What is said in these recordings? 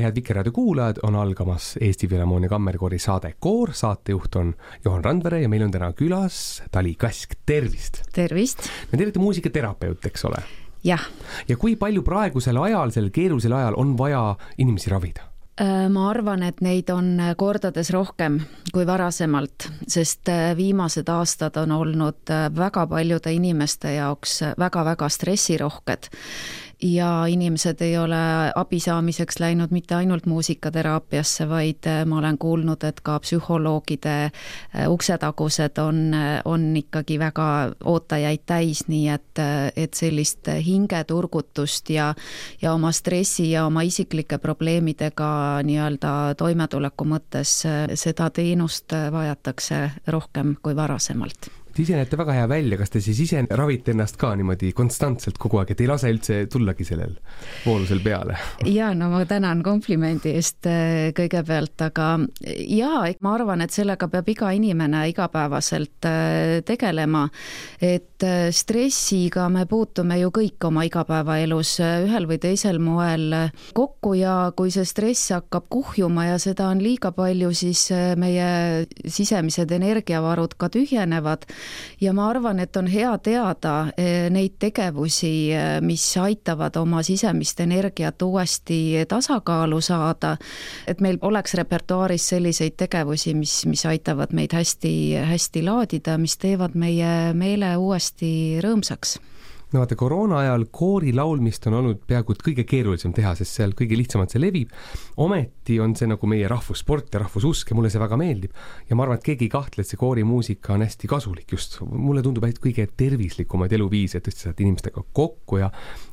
head Vikerraadio kuulajad, on algamas Eesti Filharmoonia Kammerkoori saade Koor, saatejuht on Johan Randvere ja meil on täna külas Tali Kask, tervist! Tervist! Me teete muusikaterapeut, eks ole? Jah. Ja kui palju praegusel ajal, sellel keerulisel ajal on vaja inimesi ravida? Ma arvan, et neid on kordades rohkem kui varasemalt, sest viimased aastad on olnud väga paljude inimeste jaoks väga-väga stressirohked. Ja inimesed ei ole abi saamiseks läinud mitte ainult muusikateraapiasse, vaid ma olen kuulnud, et ka psühholoogide uksetagused on ikkagi väga ootajaid täis, nii et sellist hingeturgutust ja oma stressi ja oma isiklike probleemidega nii-öelda toimetuleku mõttes seda teenust vajatakse rohkem kui varasemalt. Ise näete väga hea välja, kas te siis ise ravite ennast ka niimoodi konstantselt kogu aeg, et ei lase üldse tullagi sellel voolusel peale? Jaa, no ma tänan komplimendi eest kõigepealt, aga jaa, ma arvan, et sellega peab iga inimene igapäevaselt tegelema, et stressiga me puutume ju kõik oma igapäevaelus ühel või teisel moel kokku ja kui see stress hakkab kuhjuma ja seda on liiga palju, siis meie sisemised energiavarud ka tühjenevad. Ja ma arvan, et on hea teada neid tegevusi, mis aitavad oma sisemist energiat uuesti tasakaalu saada, et meil oleks repertuaaris selliseid tegevusi, mis aitavad meid hästi laadida, mis teevad meie meele uuesti rõõmsaks. No vaata, koroona ajal koori laulmist on olnud peaaegu kõige keerulisem teha, sest seal kõige lihtsamalt see levib. Ometi on see nagu meie rahvussport ja rahvususk ja mulle see väga meeldib. Ja ma arvan, et keegi ei kahtle, et see koorimuusika on hästi kasulik just. Mulle tundub, et kõige tervislikumaid eluviisi, et tõesti saad inimestega kokku ja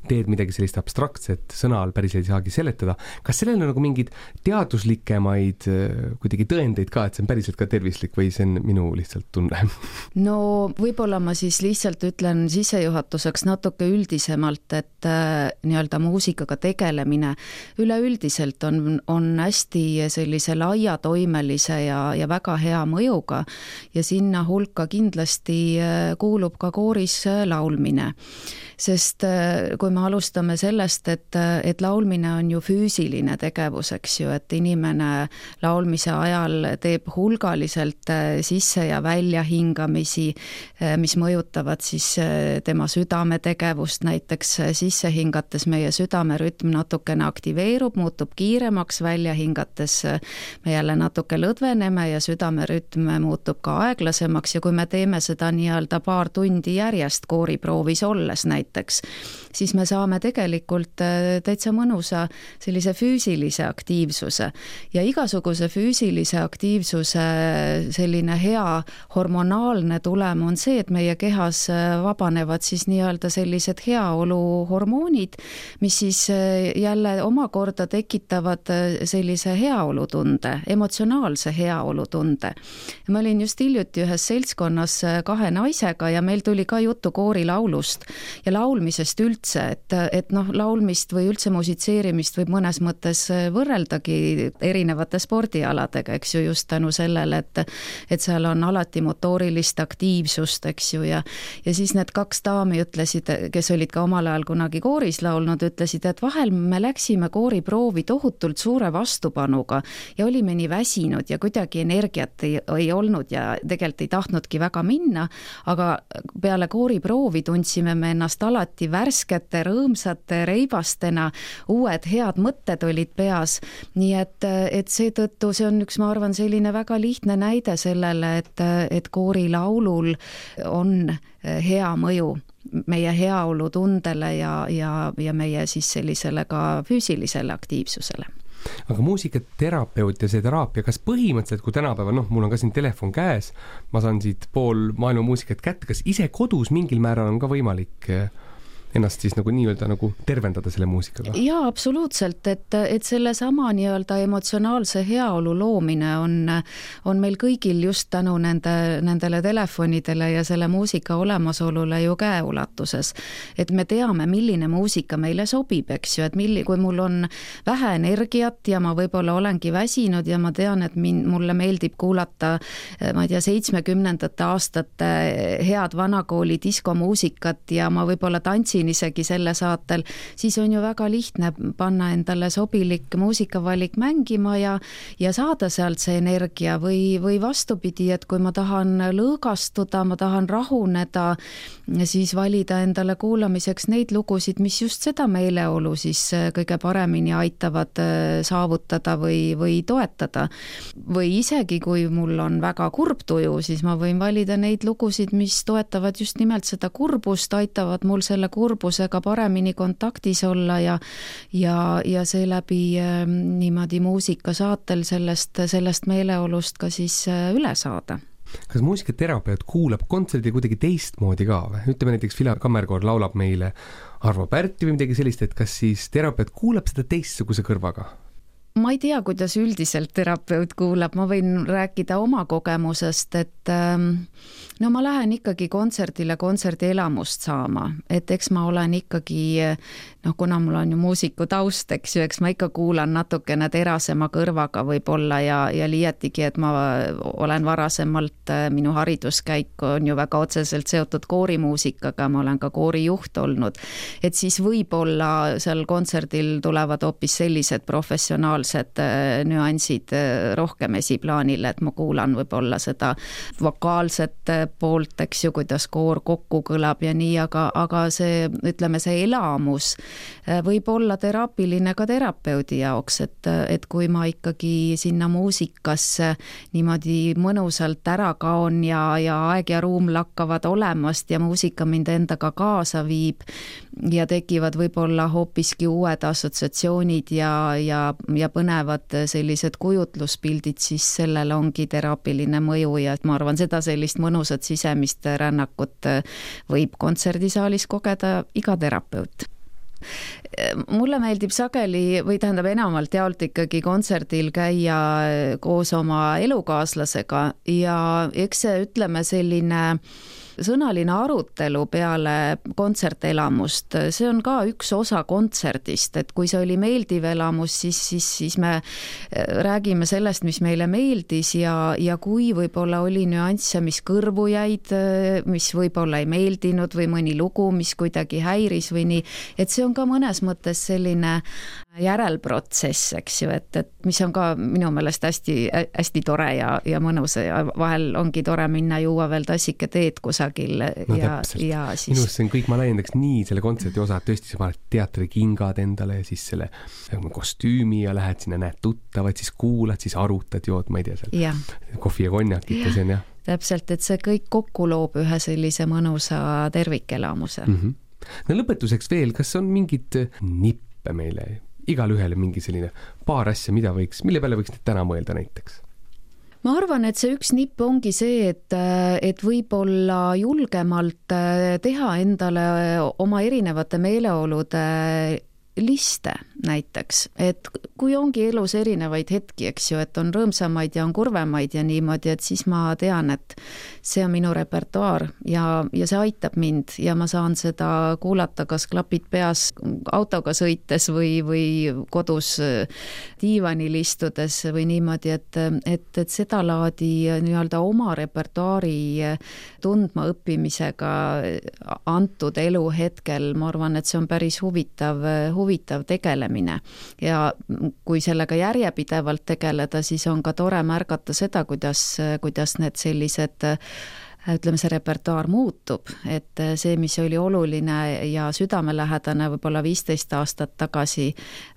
teed midagi sellist abstraktset, sõna all päris ei saagi seletada. Kas sellel on nagu mingid teaduslikemaid kuidagi tõendeid ka, et see on päriselt ka tervislik või see on minu lihtsalt tunne? No võib-olla ma siis lihtsalt ütlen sissejuhatuseks natuke üldisemalt, et nii-öelda muusikaga tegelemine üleüldiselt on hästi sellise laiatoimelise ja väga hea mõjuga ja sinna hulka kindlasti kuulub ka kooris laulmine. Sest kui me alustame sellest, et laulmine on ju füüsiline tegevus, eks ju, et inimene laulmise ajal teeb hulgaliselt sisse ja välja hingamisi, mis mõjutavad siis tema südametegevust, näiteks sisse hingates meie südamerütm natukene aktiveerub, muutub kiiremaks, välja hingates me jälle natuke lõdveneme ja südamerütm muutub ka aeglasemaks ja kui me teeme seda nii-öelda paar tundi järjest kooriproovis olles näiteks, siis me saame tegelikult täitsa mõnusa sellise füüsilise aktiivsuse ja igasuguse füüsilise aktiivsuse selline hea hormonaalne tulem on see, et meie kehas vabanevad siis nii-öelda sellised heaoluhormoonid, mis siis jälle omakorda tekitavad sellise heaolutunde, emotsionaalse heaolutunde. Ma olin just hiljuti ühes seltskonnas 2 naisega ja meil tuli ka juttu koorilaulust ja laulmisest üldse, et laulmist või üldse musitseerimist võib mõnes mõttes võrreldagi erinevate spordialadega, eks ju, just tänu sellele, et seal on alati motoorilist aktiivsust, eks ju, ja siis need 2 daami ütlesid, kes olid ka omal ajal kunagi kooris laulnud, ütlesid, et vahel me läksime kooriproovi tohutult suure vastupanuga ja olime nii väsinud ja kuidagi energiat ei olnud ja tegelikult ei tahtnudki väga minna, aga peale kooriproovi tundsime me ennast alati värskete, rõõmsate, reibastena, uued head mõtted olid peas, nii et seetõttu see on üks, ma arvan, selline väga lihtne näide sellele, et koorilaulul on hea mõju meie heaolutundele ja meie siis sellisele ka füüsilisele aktiivsusele. Aga muusikaterapeut ja see teraapia, kas põhimõtteliselt, kui tänapäeval, mul on ka siin telefon käes, ma saan siit pool maailma muusikat kätte, kas ise kodus mingil määral on ka võimalik ennast siis nagu nii-öelda nagu tervendada selle muusikaga? Jaa, absoluutselt, et selle sama nii-öelda emotsionaalse heaolu loomine on meil kõigil just tänu nendele telefonidele ja selle muusika olemasolule ju käeulatuses. Et me teame, milline muusika meile sobib, eks ju, et kui mul on vähe energiat ja ma võib-olla olengi väsinud ja ma tean, et mulle meeldib kuulata, ma ei tea, 70. aastate head vanakooli diskomuusikat ja ma võib-olla tantsin tegin isegi selle saatel, siis on ju väga lihtne panna endale sobilik muusikavalik mängima ja saada sealt see energia või vastupidi, et kui ma tahan lõõgastuda, ma tahan rahuneda, siis valida endale kuulamiseks neid lugusid, mis just seda meeleolu siis kõige paremini aitavad saavutada või toetada. Või isegi, kui mul on väga kurb tuju, siis ma võin valida neid lugusid, mis toetavad just nimelt seda kurbust, aitavad mul selle kurbusega paremini kontaktis olla ja seeläbi niimoodi muusikasaatel sellest meeleolust ka siis üle saada. Kas muusikaterapeut kuulab kontserdi kuidagi teistmoodi ka või? Ütleme näiteks Filar Kammerkoor laulab meile Arvo Pärti või midagi sellist, et kas siis terapeut kuulab seda teistsuguse kõrvaga? Ma ei tea, kuidas üldiselt terapeut kuulab, ma võin rääkida oma kogemusest, et no ma lähen ikkagi kontserdile kontserdi elamust saama, et eks ma olen ikkagi, kuna mul on ju muusiku taust, eks ju, eks ma ikka kuulan natukene terasema kõrvaga võib-olla ja liiatigi, et ma olen varasemalt, minu hariduskäik on ju väga otseselt seotud koorimuusikaga, ma olen ka koorijuht olnud, et siis võib-olla seal kontserdil tulevad hoopis sellised professionaalsed nüansid rohkem esiplaanile, et ma kuulan võib-olla seda vokaalset poolt, eks ju, kuidas koor kokku kõlab ja nii, aga see, ütleme, see elamus võib olla teraapiline ka terapeudi jaoks, et kui ma ikkagi sinna muusikasse niimoodi mõnusalt ära kaon ja aeg ja ruum lakkavad olemast ja muusika mind endaga kaasa viib ja tekivad võib-olla hoopiski uued assotsiatsioonid ja põnevad sellised kujutluspildid, siis sellel ongi teraapiline mõju ja ma arvan, seda sellist mõnusat sisemist rännakut võib kontserdisaalis kogeda iga terapeut. Mulle meeldib sageli või tähendab enamalt jaolt ikkagi kontserdil käia koos oma elukaaslasega ja eks see, ütleme, selline sõnaline arutelu peale kontsertelamust, see on ka üks osa kontserdist, et kui see oli meeldiv elamus, siis me räägime sellest, mis meile meeldis ja kui võib-olla oli nüansse, mis kõrvu jäid, mis võib-olla ei meeldinud või mõni lugu, mis kuidagi häiris või nii, et see on ka mõnes mõttes selline järelprotsess, eks ju, et mis on ka minu meelest hästi tore ja mõnus ja vahel ongi tore minna juua veel tassike teed kusagil ja siis... Minus see on kõik, ma laiendaks nii selle kontserti osa, et tõesti sa paned teatrikingad endale ja siis selle kostüümi ja lähed sinna, näed tuttavad, siis kuulad, siis arutad, jood, ma ei tea seal kohvi ja konjakit ja see on jah. Täpselt, et see kõik kokku loob ühe sellise mõnusa tervikelamuse. No lõpetuseks veel, kas on mingid nippe meile igal ühele mingi selline paar asja, mille peale võiks täna mõelda näiteks? Ma arvan, et see üks nipp ongi see, et võib-olla julgemalt teha endale oma erinevate meeleolude liste näiteks, et kui ongi elus erinevaid hetki, eks ju, et on rõõmsamaid ja on kurvemaid ja niimoodi, et siis ma tean, et see on minu repertuaar ja see aitab mind ja ma saan seda kuulata kas klapid peas autoga sõites või kodus diivanil istudes või niimoodi, et seda laadi nii-öelda oma repertuaari tundma õppimisega antud elu hetkel, ma arvan, et see on päris huvitav tegelemine ja kui sellega järjepidevalt tegeleda, siis on ka tore märgata seda, kuidas need sellised ütleme, see repertuaar muutub, et see, mis oli oluline ja südamelähedane võib-olla 15 aastat tagasi,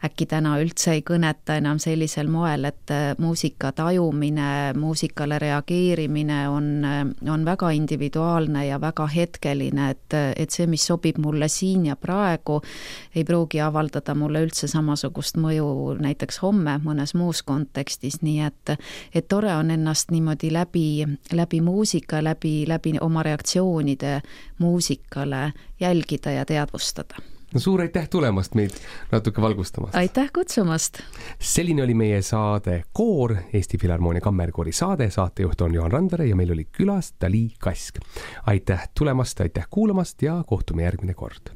äkki täna üldse ei kõneta enam sellisel moel, et muusika tajumine, muusikale reageerimine on väga individuaalne ja väga hetkeline, et see, mis sobib mulle siin ja praegu, ei pruugi avaldada mulle üldse samasugust mõju näiteks homme mõnes muus kontekstis, nii et tore on ennast niimoodi läbi muusika, läbi oma reaktsioonide muusikale jälgida ja teadvustada. No suur aitäh tulemast meid natuke valgustamast. Aitäh kutsumast. Selline oli meie saade Koor, Eesti Filharmoonia Kammerkoori saade. Saatejuht on Juhan Randvere ja meil oli külas Dali Kask. Aitäh tulemast, aitäh kuulamast ja kohtume järgmine kord.